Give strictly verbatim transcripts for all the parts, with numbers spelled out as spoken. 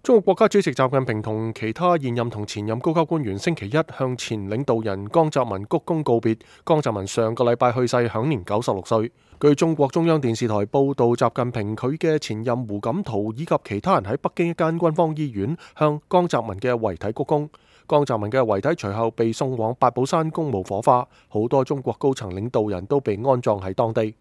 中國國家主席習近平同其他現任同前任高級官員星期一向前領導人江澤民鞠躬告別。江澤民上個禮拜去世，享年九十六歲。據中國中央電視台報道，習近平佢嘅前任胡錦濤以及其他人喺北京一間軍方醫院向江澤民嘅遺體鞠躬。江澤民嘅遺體隨後被送往八寶山公墓火化，好多中國高層領導人都被安葬喺當地。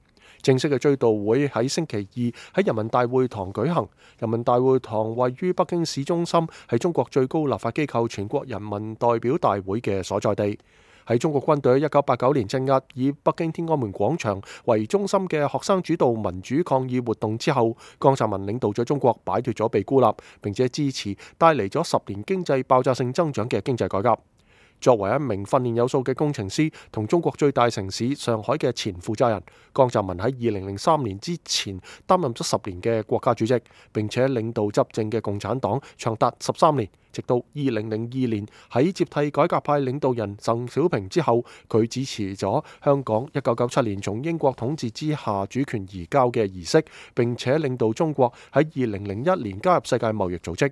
正式嘅追悼會喺星期二喺人民大會堂舉行。人民大會堂位於北京市中心，係中國最高立法機構全國人民代表大會嘅所在地。喺中國軍隊一九八九年鎮壓以北京天安門廣場為中心嘅學生主導民主抗議活動之後，江澤民領導咗中國擺脫咗被孤立，並且支持帶嚟咗十年經濟爆炸性增長嘅經濟改革。作為一名訓練有素嘅工程師同中國最大城市上海嘅前負責人，江澤民喺二零零三年之前擔任咗十年嘅國家主席，並且領導執政嘅共產黨長達十三年，直到二零零二年喺接替改革派領導人鄧小平之後，佢主持咗香港一九九七年從英國統治之下主權移交嘅儀式，並且領導中國喺二零零一年加入世界貿易組織。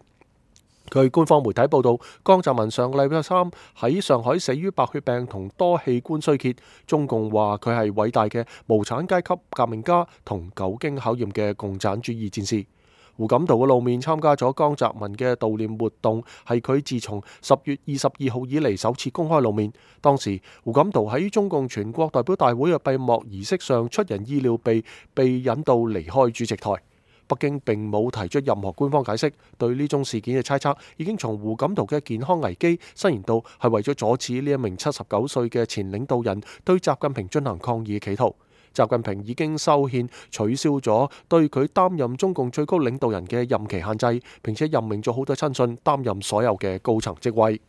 據官方媒體報道，江澤民上個禮拜三喺上海死於白血病同多器官衰竭。中共話佢係偉大嘅無產階級革命家同久經考驗嘅共產主義戰士。胡錦濤嘅露面參加咗江澤民嘅悼念活動，係佢自從十月二十二號以嚟首次公開露面。當時胡錦濤喺中共全國代表大會嘅閉幕儀式上，出人意料地被引導離開主席台。北京並冇提出任何官方解釋，對呢宗事件嘅猜測已經從胡錦濤嘅健康危機伸延到係為咗阻止呢一名七十九歲嘅前領導人對習近平進行抗議嘅企圖。習近平已經修憲取消咗對佢擔任中共最高領導人嘅任期限制，並且任命咗好多親信擔任所有嘅高層職位。